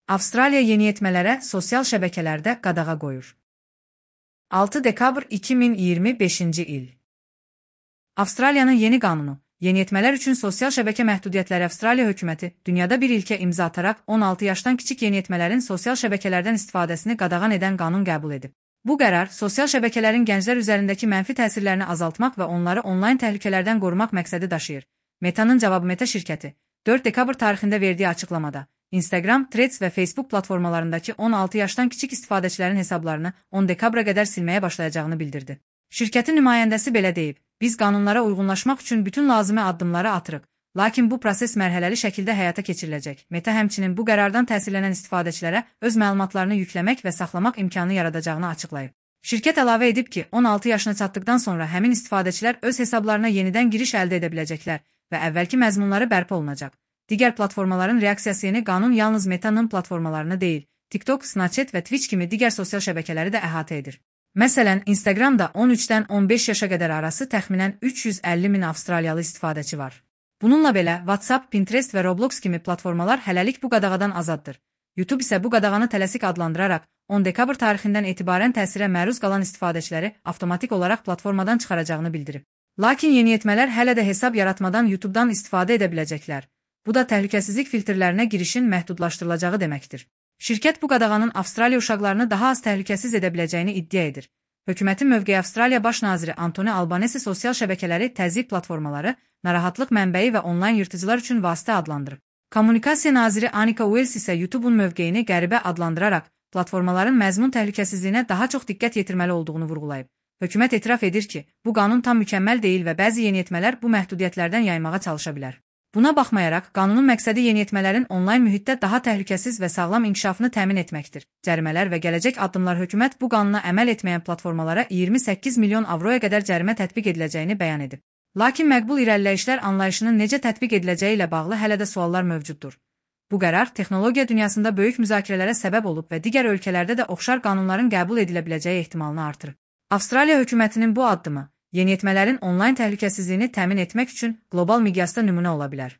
Avstraliya yeniyetmələrə sosial şəbəkələrdə qadağa qoyur. 6 dekabr 2025-ci il. Avstraliyanın yeni qanunu, yeniyetmələr üçün sosial şəbəkə məhdudiyyətləri Avstraliya hökuməti dünyada bir ilkə imza ataraq 16 yaşdan kiçik yeniyetmələrin sosial şəbəkələrdən istifadəsini qadağan edən qanun qəbul edib. Bu qərar, sosial şəbəkələrin gənclər üzərindəki mənfi təsirlərini azaltmaq və onları onlayn təhlükələrdən qorumaq məqsədi daşıyır. Meta'nın cavabı Meta şirkəti 4 dekabr tarixində verdiyi açıqlamada, Instagram, Threads və Facebook platformalarındakı 16 yaşdan kiçik istifadəçilərin hesablarını 10 dekabra qədər silməyə başlayacağını bildirdi. Şirkətin nümayəndəsi belə deyib, biz qanunlara uyğunlaşmaq üçün bütün lazımi addımları atırıq, lakin bu proses mərhələli şəkildə həyata keçiriləcək. Meta həmçinin bu qərardan təsirlənən istifadəçilərə öz məlumatlarını yükləmək və saxlamaq imkanı yaradacağını açıqlayıb. Şirkət əlavə edib ki, 16 yaşına çatdıqdan sonra həmin istifadəçilər öz hesablarına yenidən giriş əldə edə biləcəklər və əvvəlki məzmunları bərpa olunacaq. Digər platformaların reaksiyası yeni qanun yalnız Meta'nın platformalarını deyil, TikTok, Snapchat və Twitch kimi digər sosial şəbəkələri də əhatə edir. Məsələn, Instagramda 13-dən 15 yaşa qədər arası təxminən 350 min avstraliyalı istifadəçi var. Bununla belə, WhatsApp, Pinterest və Roblox kimi platformalar hələlik bu qadağadan azaddır. YouTube isə bu qadağanı tələsik adlandıraraq 10 dekabr tarixindən etibarən təsirə məruz qalan istifadəçiləri avtomatik olaraq platformadan çıxaracağını bildirib. Lakin yeniyetmələr hələ də hesab yaratmadan YouTube'dan istifadə edə biləcəklər. Bu da təhlükəsizlik filtrlərinə girişin məhdudlaşdırılacağı deməkdir. Şirkət bu qadağanın Avstraliya uşaqlarını daha az təhlükəsiz edə biləcəyini iddia edir. Hökumətin mövqeyi Avstraliya Baş naziri Anthony Albanese sosial şəbəkələri təzyiq platformaları, narahatlıq mənbəyi və onlayn yırtıcılar üçün vasitə adlandırıb. Kommunikasiya naziri Anika Wells isə YouTube'un mövqeyini qəribə adlandıraraq platformaların məzmun təhlükəsizliyinə daha çox diqqət yetirməli olduğunu vurğulayıb. Hökumət etiraf edir ki, bu qanun tam mükəmməl deyil və bəzi yeniyetmələr bu məhdudiyyətlərdən yaymağa çalışa bilər. Buna baxmayaraq, qanunun məqsədi yeniyetmələrin onlayn mühitdə daha təhlükəsiz və sağlam inkişafını təmin etməkdir. Cərimələr və gələcək addımlar hökumət bu qanuna əməl etməyən platformalara 28 milyon avroya qədər cərimə tətbiq ediləcəyini bəyan edib. Lakin məqbul irəliləyişlər anlayışının necə tətbiq ediləcəyi ilə bağlı hələ də suallar mövcuddur. Bu qərar texnologiya dünyasında böyük müzakirələrə səbəb olub və digər ölkələrdə də oxşar qanunların qəbul edilə biləcəyi ehtimalını artırır. Avstraliya hökumətinin bu addımı yeniyetmələrin onlayn təhlükəsizliyini təmin etmək üçün qlobal miqyasda nümunə ola bilər.